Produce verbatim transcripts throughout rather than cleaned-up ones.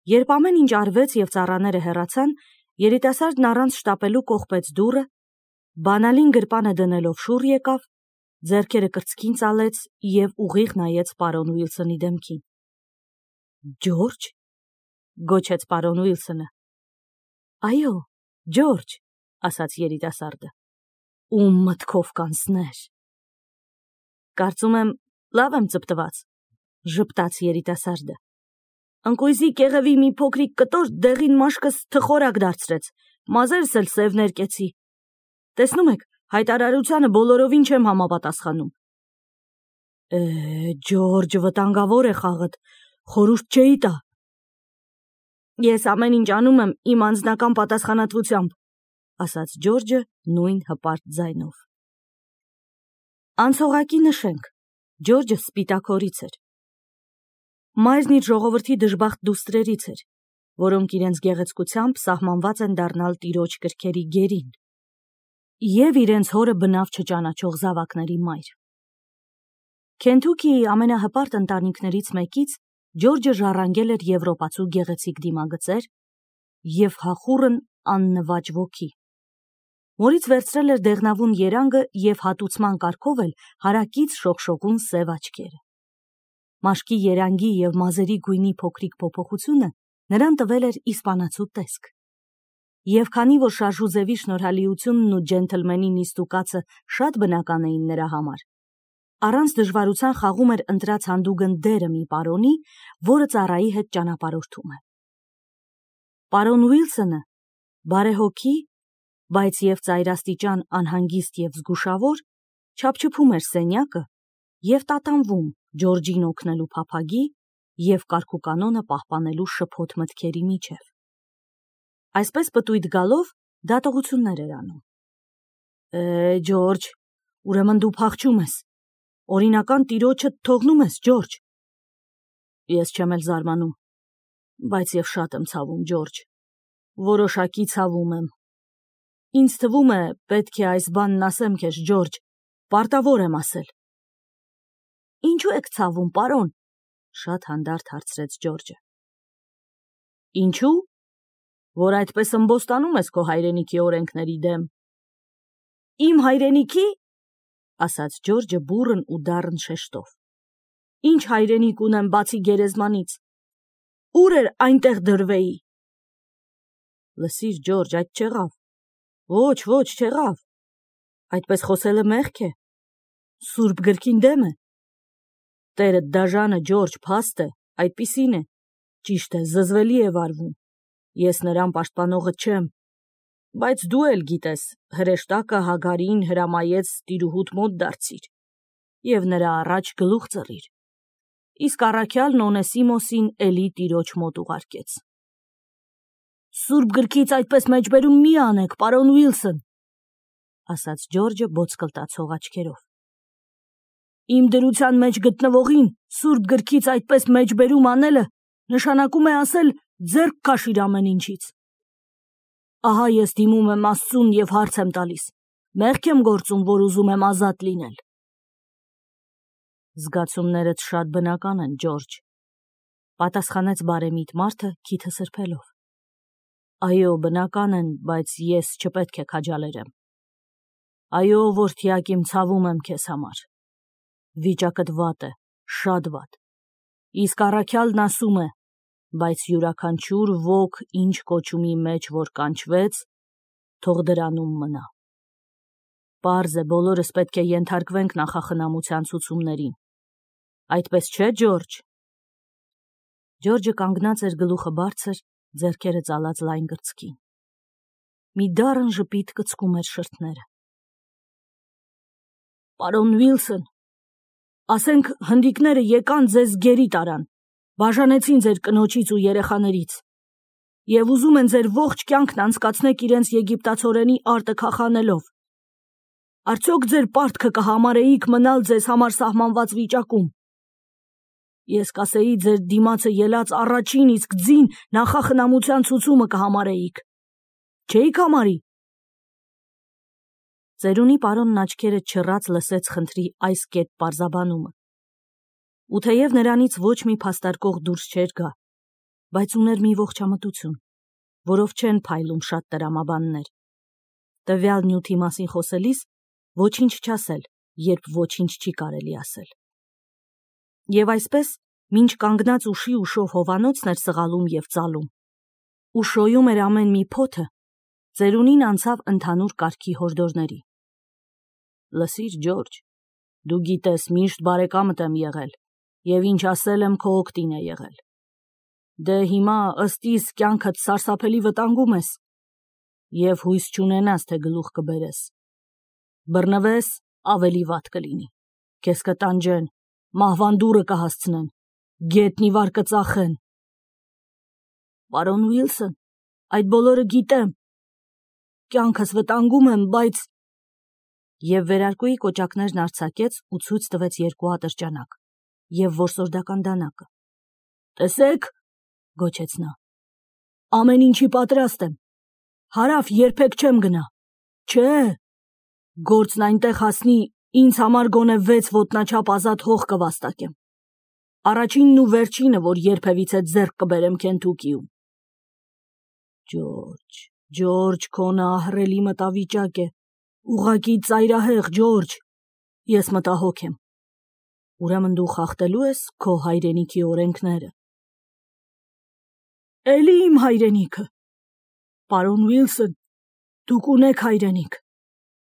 Երբ ամեն ինչ արվեց և ծառաները հեռացան, երիտասարդն առանց շտապելու կողպեց դուռը, բանալին գրպանը դնելով շուռ եկավ, ձեռքերը կրծքին ծալեց և ուղիղ նայեց պարոն Ուիլսոնի դեմքին։ Ջորջ, գոչեց պարոն Ուիլսոնը։ Այո, Ջորջ, ասաց երիտասարդը, ում մտքով կանցներ։ Կարծում եմ, լավ եմ ծպտված, ժպտաց երիտասարդը։ Ընկույզի կեղևի մի փոքրիկ կտոր դեղին մաշկս թխորակ դարձրեց, մազերս էլ սև ներկեցի։ Տեսնում եք, հայտարարությանը բոլորովին չեմ համապատասխանում։ Է, Ջորջ, վտանգավոր է խաղդ, խորհուրդ չէի տա։ Ես ամեն ինչ անում եմ իմ անձնական պատասխանատվությամբ, ասաց Ջորջը նույն հպարտ ձայնով։ Անցողակի նշենք, Ջորջը սպիտակորից էր։ Մայրն իր ժողովրդի դժբախտ դուստրերից էր, որոնք իրենց գեղեցկությամբ սահմանված են դառնալ տիրոջ կրքերի գերին, և իրենց հորը բնավ չճանաչող զավակների մայր։ Քենթուքիի ամենահպարտ ընտանիքներից մեկից Ջորջը ժառանգել էր եվրոպացու գեղեցիկ դիմագծեր և հախուռն աննվաճ ոգի։ Մորից վերցրել էր դեղնավուն երանգը և հատուցման կարգով էլ հարակից շողշողուն սև աչքերը։ Մաշկի երանգի և մազերի գույնի փոքրիկ փոփոխությունը նրան տվել էր իսպանացու տեսք։ Եվ քանի որ շարժուձևի շնորհալիությունն ու ջենթլմենի նիստուկացը շատ բնական էին նրա համար, առանց դժվարության խաղում էր ընտրած հանդուգն դերը մի պարոնի, որը ծառայի հետ ճանապարհորդում է։ Պարոն Ուիլսոնը, բարեհոգի, բայց և ծայրաստիճան անհանգիստ և զգուշավոր, չափչփում էր սենյակը և տատանվում Ջորջին օգնելու փափագի և կարգուկանոնը պահպանելու շփոթ մտքերի միջև։ Այսպես պտույտ գալով դատողություններ էր անում։ Է, Ջորջ, ուրեմն դու փախչում ես, օրինական տիրոջդ թողնում ես, Ջորջ։ Ես չեմ էլ զարմանում, բայց և շատ եմ ցավում, Ջորջ, որոշակի ցավում եմ։ Ինձ թվում է, պետք է այս բանն ասեմ քեզ, Ջորջ, պարտավոր եմ ասել։ Ինչու եք ցավում, պարոն, շատ հանդարտ հարցրեց Ջորջը։ Ինչու, որ այդպես ըմբոստանում ես քո հայրենիքի օրենքների դեմ։ Իմ հայրենիքի, ասաց Ջորջը բուռն ու դառն շեշտով։ Ինչ հայրենիք ունեմ բացի գերեզմանից։ Ուր էր այնտեղ դրվեի։ Լսիր, Ջորջ, այդ չեղավ։ Ոչ, ոչ, չեղավ։ Այդպես խոսելը մեղք է։ Սուրբ գրքին դեմ է։ Տերդ դաժանը, Ջորջ, փաստ է, այդպիսին է։ Ճիշտ է, զզվելի է վարվում։ Ես նրան պաշտպանողը չեմ, բայց դու էլ գիտես, հրեշտակը Հագարին հրամայեց տիրուհուդ մոտ դարձիր և նրա առաջ գլուխ ծռիր, իսկ առաքյալն Օնեսիմոսին էլի տիրոջ մոտ ուղարկեց։ Սուրբ գրքից այդպես մեջբերում մի անեք, պարոն Ուիլսոն, ասաց Ջորջը բոցկլտացող աչքերով։ Իմ դրության մեջ գտնվողին սուրբ գրքից այդպես մեջբերում անելը նշանակում է ասել ձեռք քաշիր ամեն ինչից։ Ահա ես դիմում եմ Աստծուն և հարց եմ տալիս. մեղք եմ գործում, որ ուզում եմ ազատ լինել։ Զգացումներդ շատ բնական են, Ջորջ, պատասխանեց բարեմիտ մարդը քիթը սրբելով։ Այո, բնական են, բայց ես չպետք է քաջալերեմ։ Այո, որդյակ իմ, ցավում եմ քեզ համար։ Վիճակդ վատ է, շատ վատ։ Իսկ առաքյալն ասում է, բայց յուրաքանչյուր ոք ինչ կոչումի մեջ որ կանչվեց, թող դրանում մնա։ Պարզ է, բոլորս պետք է ենթարկվենք նախախնամության ցուցումներին։ Այդպես չէ, Ջորջ։ Ջորջը կանգնած էր գլուխը բարձր, ձեռքերը ծալած լայն կրծքին։ Մի դառն ժպիտ կծկում էր շրթները։ Պարոն Ուիլսոն, ասենք հնդիկները եկան ձեզ գերի տարան, բաժանեցին ձեր կնոջից ու երեխաներից և ուզում են ձեր ողջ կյանքն անցկացնեք իրենց եգիպտացորենի արտը քախանելով։ Արդյոք ձեր պարտքը կհամարեիք մնալ ձեզ համար սահմանված վիճակում։ Ես կասեի ձեր դիմացը ելած առաջին իսկ ձին նախախնամության ցուցումը կհամարեիք։ Չէիք համարի։ Ծերունի պարոնն աչքերը չռած լսեց խնդրի այս կետ պարզաբանումը։ Ու թեև նրանից ոչ մի փաստարկող դուրս չէր գա, բայց ուներ մի ողջամտություն, որով չեն փայլում շատ տրամաբաններ։ Տվյալ նյութի մասին խոսելիս ոչինչ չասել, երբ ոչինչ չի կարելի ասել։ Եվ այսպես, մինչ կանգնած ուշի ուշով հովանոցն էր սղալում և ծալում, ու շոյում էր ամեն մի փոթը, ծերունին անցավ ընդհանուր կարգի հորդորների։ Լսիր, Ջորջ, դու գիտես, միշտ բարեկամդ եմ եղել, և ինչ ասել եմ քո օգտին է եղել։ Դե հիմա ըստ իս կյանքդ սարսափելի վտանգում ես, և հույս չունենաս, թե գլուխ կբերես։ Բռնվես, ավելի վատ կլինի, քեզ կտանջեն, մահվան դուռը կհասցնեն, գետնի վար կծախեն։ Պարոն Ուիլսոն, այդ բոլորը գիտեմ, կյանքս վտանգում եմ, բայց… Եվ վերարկուի կոճակներն արձակեց ու ցույց տվեց երկու ատրճանակ և որսորդական դանակը։ Տեսեք, գոչեց նա, ամեն ինչի պատրաստ եմ, հարավ երբեք չեմ գնա, չէ, գործն այնտեղ հասնի, ինձ համար գոնե վեց ոտնաչափ ազատ հող կվաստակեմ, առաջինն ու վերջինը, որ երբևիցե ձեռք կբերեմ Քենթուկիում։ Ջորջ, Ջորջ, քո նա ահռելի մտավիճակ է, ուղղակի ծայրահեղ, Ջորջ, ես մտահոգ եմ։ Ուրեմն դու խախտելու ես քո հայրենիքի օրենքները։ Էլի իմ հայրենիքը։ Պարոն Ուիլսոն, դուք ունեք հայրենիք։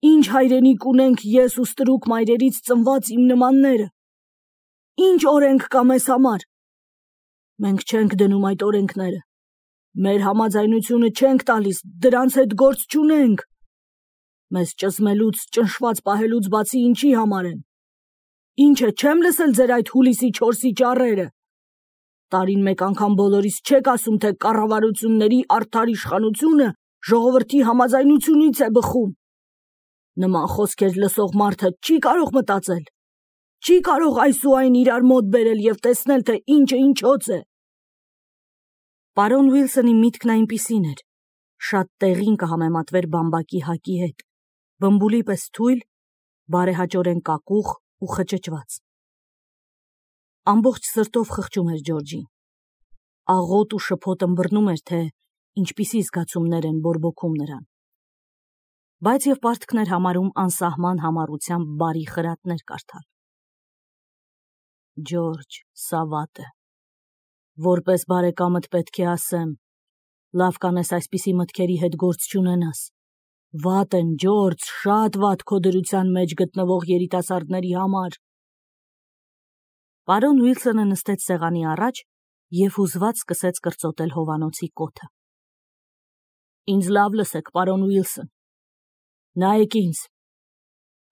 Ինչ հայրենիք ունենք ես ու ստրուկ մայրերից ծնված իմ նմանները։ Ինչ օրենք կա մեզ համար։ Մենք չենք դնում այդ օրենքները։ Մեր համաձայնությունը չենք տալիս, դրանց հետ գործ չունենք։ Մեզ ճզմելուց, ճնշված պահելուց բացի ինչի համար են։ Ինչ է, չեմ լսել ձեր այդ հուլիսի չորսի ճառերը։ Տարին մեկ անգամ բոլորիս չեք ասում, թե կառավարությունների արդար իշխանությունը ժողովրդի համաձայնությունից է բխում։ Նման խոսքեր լսող մարդը չի կարող մտածել, չի կարող այս ու այն իրար մոտ բերել և տեսնել, թե ինչը ինչոց է։ Պարոն Ուիլսոնի միտքն այնպիսին էր, շատ տեղին կհամեմատվեր բամբակի հակի հետ, բմբուլի պես թույլ, բարեհաճորեն կակուղ ու խճճված։ Ամբողջ սրտով խղճում էր Ջորջին։ Աղոտ ու շփոթ ըմբռնում էր, թե ինչպիսի զգացումներ են բորբոքում նրան։ Բայց և պարտքներ համարում անսահման համառությամբ բարի խրատներ կարդալ։ Ջորջ, սա վատ է։ Որպես բարեկամդ պետք է ասեմ, լավ կանես այսպիսի մտքերի հետ գործ չունենաս։ Վատ են, Ջորջ, շատ վատ քո դրության մեջ գտնվող երիտասարդների համար։ Պարոն Ուիլսոնը նստեց սեղանի առաջ և հուզված սկսեց կրծոտել հովանոցի կոթը։ Ինձ լավ լսեք, պարոն Ուիլսոն։ Նայեք ինձ։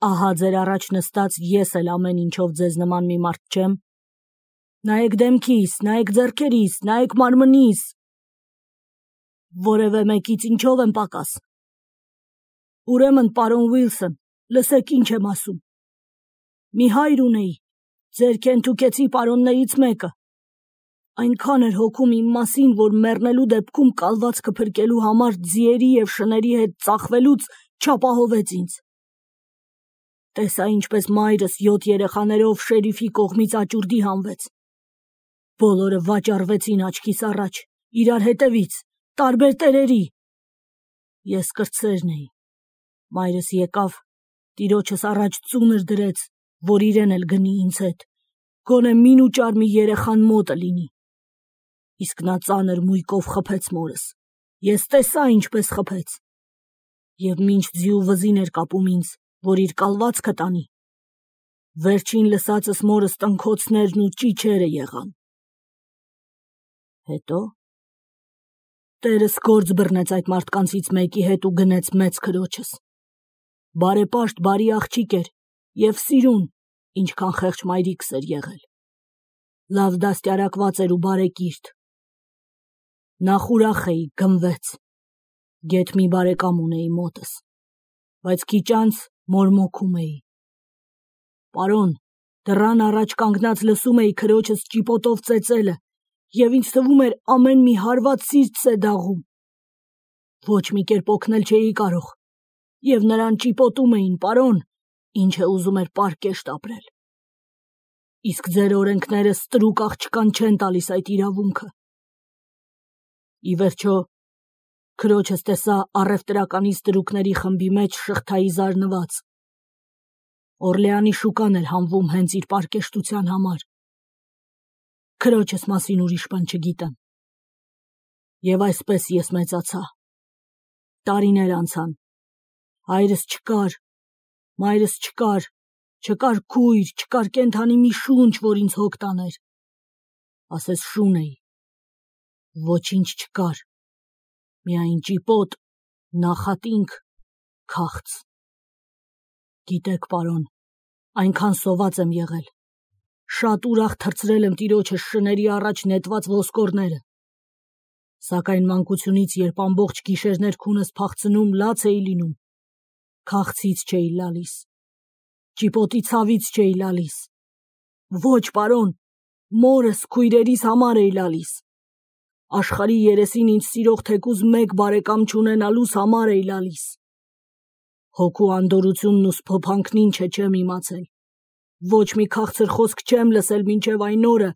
Ահա ձեր առաջ նստած ես էլ ամեն ինչով ձեզ նման մի մարդ չեմ։ Նայեք դեմքիս, նայեք ձեռքերիս, նայեք մարմնիս։ Որևէ մեկից ինչով եմ պակաս։ Ուրեմն, պարոն Ուիլսոն, լսեք ինչ եմ ասում։ Մի հայր ունեի, ձեր քենթուկեցի պարոններից մեկը։ Այնքան էր հոգում իմ մասին, որ մեռնելու դեպքում կալվածքը փրկելու համար ձիերի և շների հետ ծախվելուց չապահովեց ինձ։ Տեսա ինչպես մայրս յոթ երեխաներով շերիֆի կողմից աճուրդի հանվեց։ Բոլորը վաճառվեցին աչքիս առաջ, իրար հետևից, տարբեր տերերի։ Ես կրտսերն էի։ Մայրս եկավ, տիրոջս առաջ ծունր դրեց, որ իրեն էլ գնի ինձ հետ, գոնե մին ու ճար մի երեխան մոտը լինի։ Իսկ նա ծանր մույկով խփեց մորս։ Ես տեսա ինչպես խփեց։ Եվ մինչ ձիու վզին էր կապում ինձ, որ իր կալվածքը տանի։ Վերջին լսածս մորս տնքոցներն ու ճիչերը եղան։ Հետո տերս գործ բռնեց այդ մարդկանցից մեկի հետ ու գնեց մեծ քրոջս։ Բարեպաշտ բարի աղջիկ էր և սիրուն, ինչքան խեղճ մայրիկս էր եղել։ Լավ դաստիարակված էր ու բարեկիրթ։ Նախ ուրախ էի, գնվեց։ Գեթ մի բարեկամ ունեի մոտս, բայց քիչ անց մորմոքում էի։ Պարոն, դռան առաջ կանգնած լսում էի քրոջս ճիպոտով ծեծելը և ինձ թվում էր ամեն մի հարված սիրտս է դաղում։ Ոչ մի կերպ օգնել չէի կարող և նրան ճիպոտում էին, պարոն, ինչը ուզում էր պարկեշտ ապրել։ Իսկ ձեր օրենքները ստրուկ աղջկան չեն տալիս այդ իրավունքը։ Ի վերջո, քրոջս տեսա առևտրականի ստրուկների խմբի մեջ շղթայի զարնված։ Օրլեանի շուկան էր հանվում հենց իր պարկեշտության համար։ Քրոջս մասին ուրիշ բան չգիտեմ։ Եվ այսպես ես մեծացա։ Տարիներ անցան։ Հայրս չկար, մայրս չկար, չկար քույր, չկար կենդանի մի շունչ, որ ինձ հոգ տաներ։ Ասես շուն էի։ Ոչինչ չկար։ Միայն ճիպոտ, նախատինք, քաղց։ Գիտեք, պարոն, այնքան սոված եմ եղել։ Շատ ուրախ թռցրել եմ տիրոջս շների առաջ նետված ոսկորները։ Սակայն մանկությունից, երբ ամբողջ գիշերներ քունս փախցնում, լաց էի լինում, քաղցից չէի լալիս, ճիպոտի ցավից չէի լալիս։ Ոչ, պարոն, մորս, քույրերիս համար էի լալիս։ Աշխարհի երեսին ինձ սիրող թեկուզ մեկ բարեկամ չունենալուս համար էի լալիս։ Հոգու անդորությունն ու սփոփանքն ինչ է չեմ իմացել։ Ոչ մի քաղցր խոսք չեմ լսել մինչև այն օրը,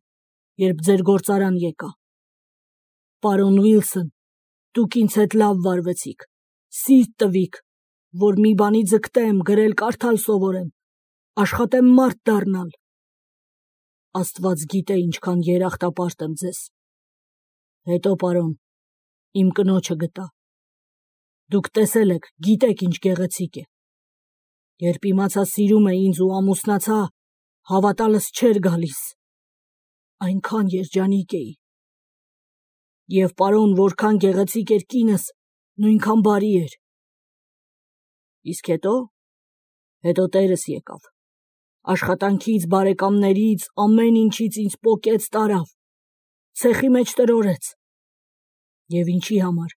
երբ ձեր գործարան եկա։ Պարոն Ուիլսոն, դուք ինձ հետ լավ վարվեցիք, սիրտ տվիք, որ մի բանի ձգտեմ, գրել կարդալ սովորեմ, աշխատեմ մարդ դառնալ։ Աստված գիտե ինչքան երախտապարտ եմ ձեզ։ Հետո, պարոն, իմ կնոջը գտա։ Դուք տեսել եք, գիտեք ինչ գեղեցիկ է։ Երբ իմացա սիրում է ինձ ու ամուսնացա, հավատալս չէր գալիս։ Այնքան երջանիկ էի։ Եվ պարոն, որքան գեղեցիկ էր կինս, նույնքան բարի էր։ Իսկ հետո, հետո տերս եկավ։ Աշխատանքից, բարեկամներից, ամեն ինչից ինձ պոկեց տարավ, ցեխի մեջ տրորեց։ Եվ ինչի համար։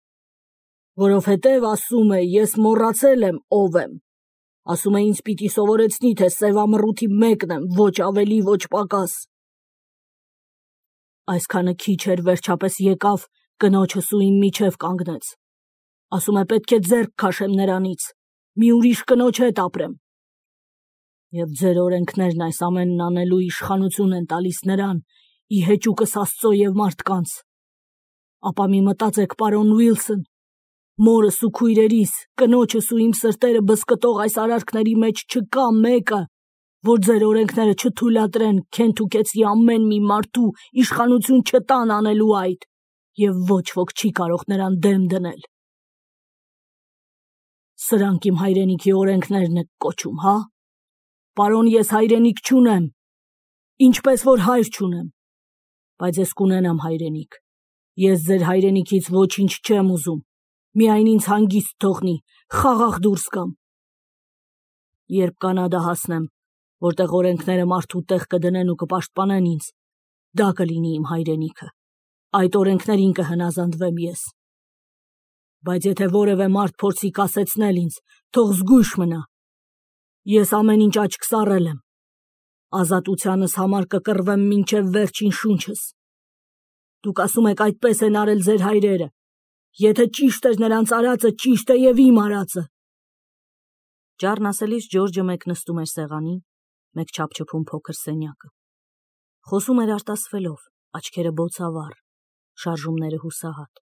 Որովհետև, ասում է, ես մոռացել եմ ով եմ։ Ասում է, ինձ պիտի սովորեցնի, թե սևամռութի մեկն եմ, ոչ ավելի, ոչ պակաս։ Այսքանը քիչ էր, վերջապես եկավ, կնոջս ու իմ միջև կանգնեց։ Ասում է, պետք է ձեռք քաշեմ նրանից, մի ուրիշ կնոջ հետ ապրեմ։ Եվ ձեր օրենքներն այս ամենն անելու իշխանություն են տալիս նրան, ի հեճուկս Աստծո և մարդկանց։ Ապա մի մտածեք, պարոն Ուիլսոն, մորս ու քույրերիս, կնոջս ու իմ սրտերը բզկտող այս արարքների մեջ չկա մեկը, որ ձեր օրենքները չթույլատրեն քենթուկեցի ամեն մի մարդու իշխանություն չտան անելու այդ, և ոչ ոք չի կարող նրան դեմ դնել։ Սրանք իմ հայրենիքի օրենքներն եք կոչում, հա։ Պարոն, ես հայրենիք չունեմ, ինչպես որ հայր չունեմ, բայց ես կունենամ հայրենիք։ Ես ձեր հայրենիքից ոչինչ չեմ ուզում, միայն ինձ հանգիստ թողնի, խաղաղ դուրս գամ։ Երբ Կանադա հասնեմ, որտեղ օրենքները մարդու տեղ կդնեն ու կպաշտպանեն ինձ, դա կլինի իմ հայրենիքը, այդ օրենքներին կհնազանդվեմ ես։ Բայց եթե որևէ մարդ փորձի կասեցնել ինձ, թող զգույշ մնա։ Ես ամեն ինչ աչք սառել եմ, ազատությանս համար կկռվեմ մինչև վերջին շունչս։ Դուք ասում եք, այդպես են արել ձեր հայրերը, եթե ճիշտ էր նրանց արածը, ճիշտ է և իմ արածը։ Ճառն ասելիս Ջորջը մեկ նստում էր սեղանին, մեկ չափչփում փոքր սենյակը։ Խոսում էր արտասվելով, աչքերը բոցավառ, շարժումները հուսահատ։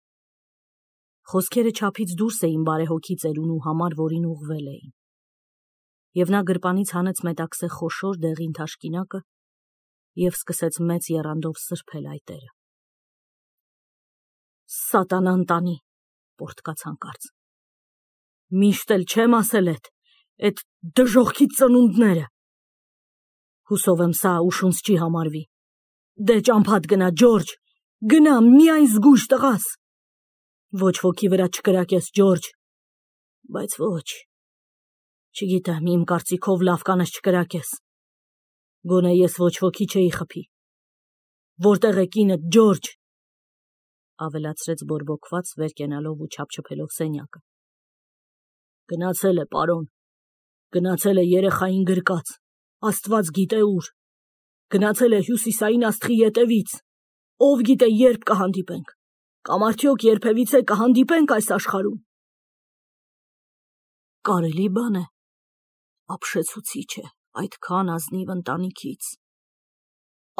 Խոսքերը չափից դուրս էին բարեհոգի ծերունու համար, որին ուղղվել էին։ Եվ նա գրպանից հանեց մետաքսե խոշոր դեղին թաշկինակը և սկսեց մեծ եռանդով սրբել այտերը։ Սատանան տանի, պոռթկաց հանկարծ։ Միշտ էլ չեմ ասել էդ, էդ դժոխքի ծնունդները։ Հուսով եմ սա ուշունց չի համարվի։ Դե ճամփադ գնա, Ջորջ, գնա, միայն զգույշ տղաս։ Ոչ ոքի վրա չկրակես, Ջորջ, բայց ոչ, չգիտեմ, իմ կարծիքով լավ կանես չկրակես։ Գոնե ես ոչ ոքի չէի խփի։ Որտեղ է կինդ, Ջորջ, ավելացրեց բորբոքված, վեր կենալով ու չափչփելով սենյակը։ Գնացել է, պարոն, գնացել է երեխային գրկած, Աստված գիտե ուր, գնացել է հյուսիսային աստղի ետևից, ով գիտե երբ կհանդիպենք, կամ արդյոք երբևիցե կհանդիպենք այս աշխարհում։ Կարելի բան է, ապշեցուցիչ է, այդքան ազնիվ ընտանիքից։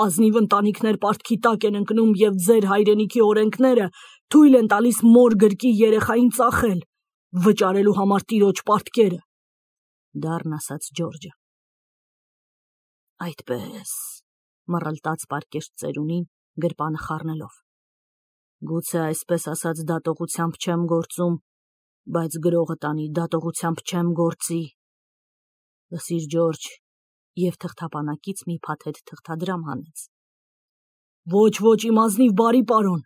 Ազնիվ ընտանիքներ պարտքի տակ են ընկնում և ձեր հայրենիքի օրենքները թույլ են տալիս մոր գրկի երեխային ծախել, վճարելու համար տիրոջ պարտքերը, դառն ասաց Ջորջը։ Այդպես, մռլտաց պարկեշտ ծերունին, գրպանը խառնելով։ Գուցե այսպես ասած դատողությամբ չեմ գործում, բայց գրողը տանի դատողությամբ չեմ գործի։ Լսիր Ջորջ, և թղթապանակից մի փաթեթ թղթադրամ հանեց։ Ոչ, ոչ, իմ ազնիվ բարի պարոն,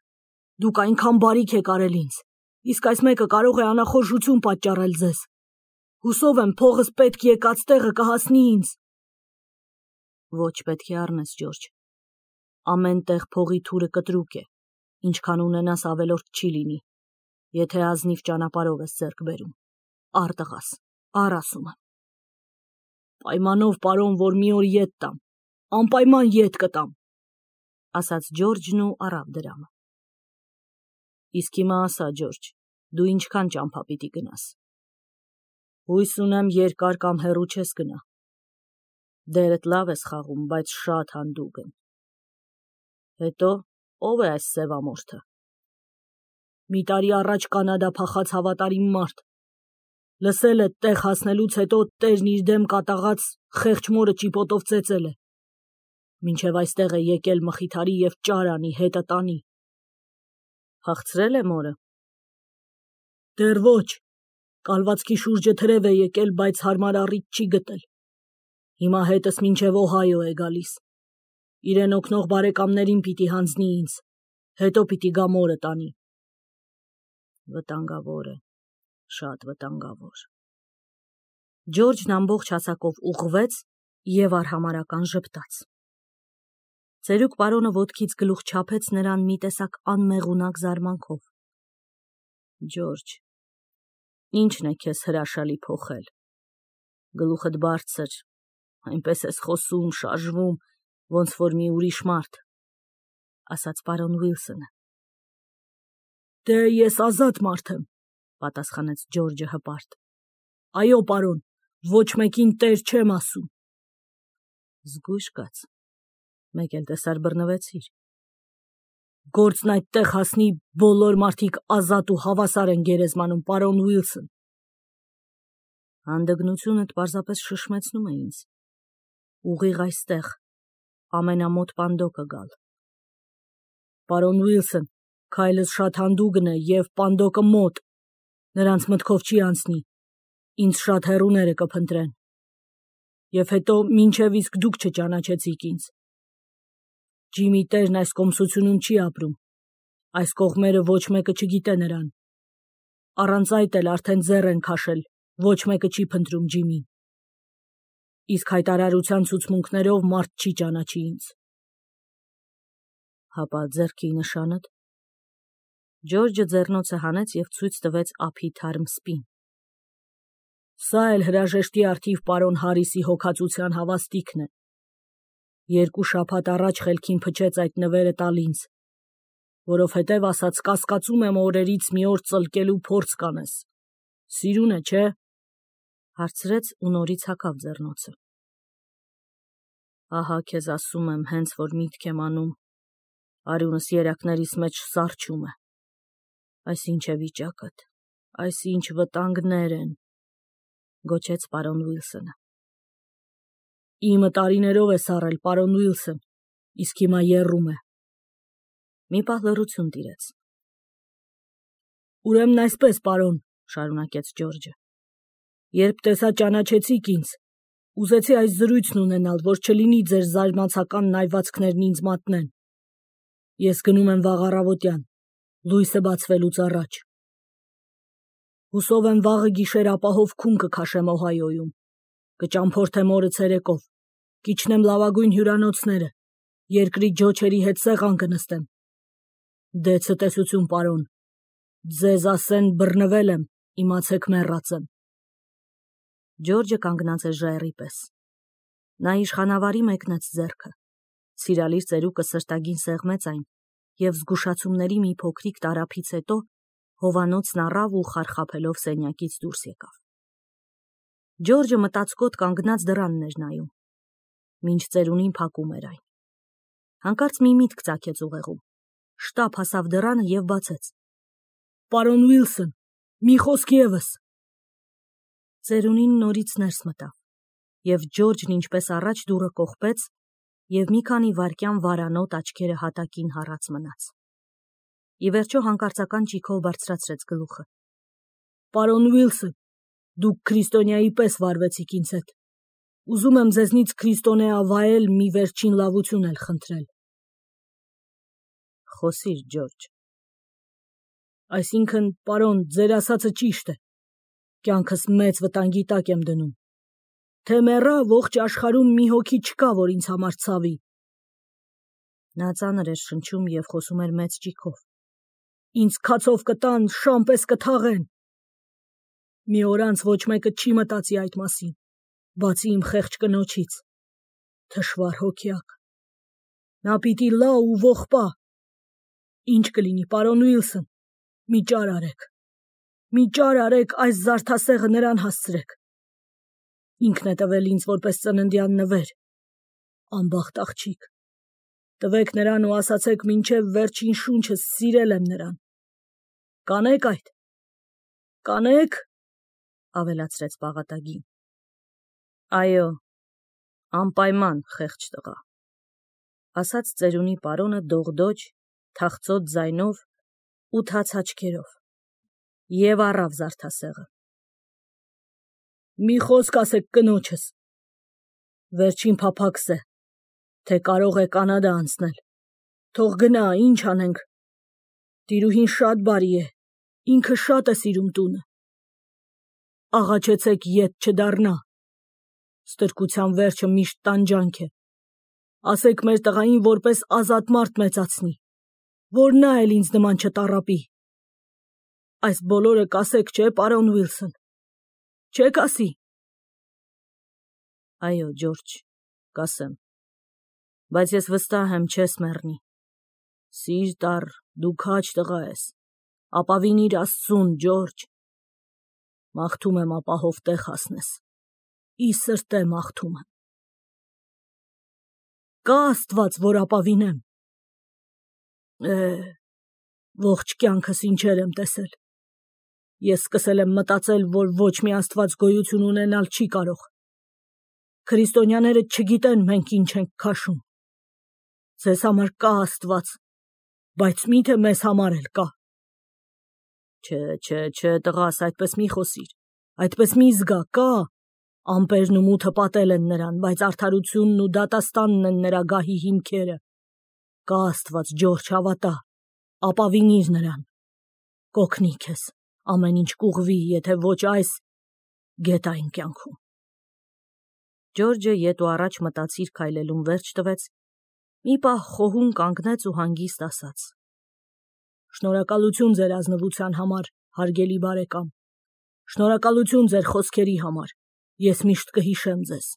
դուք այնքան բարիք եք արել ինձ, իսկ այս մեկը կարող է անախորժություն պատճառել ձեզ։ Հուսով եմ փողս պետք եկած տեղը կհասնի ինձ։ Ոչ պետք է առնես, Ջորջ։ Ամեն տեղ փողի թուրը կտրուկ է, ինչքան ունենաս ավելորդ չի լինի, եթե ազնիվ ճանապարհով ես ձեռք բերում։ Առ տղաս, առ ասում եմ։ Պայմանով, պարոն, որ մի օր ետ տամ, անպայման ետ կտամ, ասաց Ջորջն ու առավ դրամը։ Իսկ հիմա ասա, Ջորջ, դու ինչքան ճամփա պիտի գնաս։ Հույս ունեմ երկար կամ հեռու չես գնա։ Դերդ լավ ես խաղում, բայց շատ հանդուգն։ Հետո ո՞վ է այս սևամորթը։ Մի տարի առաջ Կանադա փախած հավատարիմ մարդ։ Լսել է տեղ հասնելուց հետո տերն իր դեմ կատաղած խեղճ մորը ճիպոտով ծեծել է։ Մինչև այստեղ է եկել մխիթարի և ճար անի, հետը տանի։ Հաղթրել է մորը։ Դեռ ոչ, կալվածքի շուրջը թրև է եկել, բայց հարմար առիթ չի գտել։ Հիմա հետս մինչև Օհայո է գալիս։ Իրեն օգնող բարեկամներին պիտի հանձնի ինձ, հետո պիտի գա մորը տանի։ Վտանգավոր է, շատ վտանգավոր։ Ջորջն ամբողջ հասակով ուղղվեց և արհամարհական ժպտաց։ Ծերուկ պարոնը ոտքից գլուխ չափեց նրան մի տեսակ անմեղունակ զարմանքով։ Ջորջ, ի՞նչն է քեզ հրաշալի փոխել։ Գլուխդ բարձր, այնպես ես խոսում, շարժվում, ոնց որ մի ուրիշ մարդ, ասաց պարոն Ուիլսոնը։ Դե ես ազատ մարդ եմ, պատասխանեց Ջորջը հպարտ։ Այո, պարոն, ոչ մեկին տեր չեմ ասում։ Զգույշ կաց, մեկ էլ տեսար բռնվեցիր։ Գործն այդտեղ հասնի, բոլոր մարդիկ ազատ ու հավասար են գերեզմանում, պարոն Ուիլսոն։ Հանդգնությունդ պարզապես շշմեցնում է ինձ։ Ուղիղ այստեղ, ամենամոտ պանդոկը գալ։ Պարոն Ուիլսոն, քայլս շատ հանդուգն է և պանդոկը մոտ, նրանց մտքով չի անցնի, ինձ շատ հեռուները կփնտրեն։ Եվ հետո մինչև իսկ դուք չճանաչեցիք ինձ։ Ջիմի տերն այս կոմսությունում չի ապրում, այս կողմերը ոչ մեկը չգիտե նրան։ Առանց այդ էլ արդեն ձեռ են քաշել, ոչ մեկը չի փնտրում Ջիմին։ Իսկ հայտարարության ցուցմունքներով մարդ չի ճանաչի ինձ։ Հապա ձեռքի նշանդ։ Ջորջը ձեռնոցը հանեց և ցույց տվեց ափի թարմ սպին։ Սա էլ հրաժեշտի առթիվ պարոն Հարիսի հոգածության հավաստիքն է։ Երկու շաբաթ առաջ խելքին փչեց այդ նվերը տալ ինձ, որովհետև ասաց կասկածում եմ օրերից մի օր ծլկելու փորձ կանես։ Սիրուն է, չէ։ Հարցրեց ու նորից հագավ ձեռնոցը։ Ահա քեզ ասում եմ, հենց որ միտք եմ անում, արյունս երակներիս մեջ սառչում է։ Այս ինչ է վիճակդ, այս ինչ վտանգներ են, գոչեց պարոն Ուիլսոնը։ Իմը տարիներով է սառել, պարոն Ուիլսոն, իսկ հիմա եռում է։ Մի պահ լռություն տիրեց։ Ուրեմն այսպես, պարոն, շարունակեց Ջորջը, երբ տեսա ճանաչեցիք ինձ, ուզեցի այս զրույցն ունենալ, որ չլինի ձեր զարմացական նայվածքներն ինձ մատնեն։ Ես գնում եմ վաղ առավոտյան, լույսը բացվելուց առաջ։ Հուսով եմ վաղը գիշեր ապահով քուն կքաշեմ Օհայոյում, կճամփորդեմ օրը ցերեկով, կիջնեմ լավագույն հյուրանոցները, երկրի ջոչերի հետ սեղան կնստեմ։ Դե ցտեսություն, պարոն, ձեզ ասեն բռնվել եմ, իմացեք մեռած եմ։ Ջորջը կանգնած էր ժայռի պես։ Նա իշխանավարի մեկնեց ձեռքը, սիրալիր ծերուկը սրտագին սեղմեց այն և զգուշացումների մի փոքրիկ տարափից հետո հովանոցն առավ ու խարխափելով սենյակից դուրս եկավ։ Ջորջը մտածկոտ կանգնած դռանն էր նայում, մինչ ծերունին փակում էր այն։ Հանկարծ մի միտք ծագեց ուղեղում, շտապ հասավ դռանը և բացեց։ պարոն Ուիլսոն, մի խոսք ևս։ Ծերունին նորից ներս մտավ, և Ջորջն ինչպես առաջ դուռը կողպեց, և մի քանի վայրկյան վարանոտ աչքերը հատակին հառած մնաց։ Ի վերջո հանկարծական ճիգով բարձրացրեց գլուխը։ Պարոն Ուիլսոն, դուք քրիստոնյայի պես վարվեցիք ինձ հետ։ Ուզում եմ ձեզնից քրիստոնեավայել մի վերջին լավություն էլ խնդրել։ Խոսիր, Ջորջ։ Այսինքն, պարոն, ձեր ասածը ճիշտ է։ Կյանքս մեծ վտանգի տակ եմ դնում։ Թե մեռա, ողջ աշխարհում մի հոգի չկա, որ ինձ համար ցավի։ Նա ծանր էր շնչում և խոսում էր մեծ ճիգով։ Ինձ քացով կտան, շան պես կթաղեն։ Մի օր անց ոչ մեկը չի մտածի այդ մասին, բացի իմ խեղճ կնոջից։ Թշվառ հոգյակ։ Նա պիտի լա ու ողբա։ Ինչ կլինի, պարոն Ուիլսոն, մի ճար արեք։ Մի ճար արեք, այս զարդասեղը նրան հասցրեք։ Ինքն է տվել ինձ որպես ծննդյան նվեր։ Անբախտ աղջիկ։ Տվեք նրան ու ասացեք մինչև վերջին շունչս սիրել եմ նրան։ Կանեք այդ։ Կանեք, ավելացրեց պաղատագին։ Այո, անպայման, խեղճ տղա, ասաց ծերունի պարոնը դողդոջ, թախծոտ ձայնով ու թաց աչքերով, և առավ զարդասեղը։ Մի խոսք ասեք կնոջս։ Վերջին փափաքս է, թե կարող է Կանադա անցնել։ Թող գնա, ինչ անենք։ Տիրուհին շատ բարի է, ինքը շատ է սիրում տունը։ Աղաչեցեք ետ չդառնա։ Ստրկության վերջը միշտ տանջանք է։ Ասեք մեր տղային որպես ազատ մարդ մեծացնի, որ նա էլ ինձ նման չտառապի։ Այս բոլորը կասեք, չէ, պարոն Ուիլսոն։ Չեք ասի։ Այո, Ջորջ, կասեմ, բայց ես վստահ եմ չես մեռնի։ Սիրտ առ, դու քաջ տղա ես, ապավինիր Աստծուն, Ջորջ։ Մաղթում եմ ապահով տեղ հասնես։ Ի սրտե մաղթում եմ։ Կա Աստված, որ ապավինեմ։ Է, ողջ կյանքս ինչեր եմ տեսել։ Ես սկսել եմ մտածել, որ ոչ մի Աստված գոյություն ունենալ չի կարող։ Քրիստոնյաները չգիտեն մենք ինչ ենք քաշում։ Ձեզ համար կա Աստված, բայց միթե մեզ համար էլ կա։ Չէ, չէ, չէ, տղաս, այդպես մի խոսիր։ Այդպես մի զգա, կա։ Ամպերն ու մութը պատել են նրան, բայց արդարությունն ու դատաստանն են նրա գահի հիմքերը։ Կա Աստված, Ջորջ, հավատա, ապավինիր նրան։ Կօգնի քեզ, ամեն ինչ կուղվի, եթե ոչ այս, գետային կյանքում։ Ջորջը ետ ու առաջ մտածիր քայլելուն վերջ տվեց, մի պահ խոհուն կանգնեց ու հանգիստ ասաց. Շնորհակալություն ձեր ազնվության համար, հարգելի բարեկամ։ Շնորհակալություն ձեր խոսքերի համար, ես միշտ կհիշեմ ձեզ։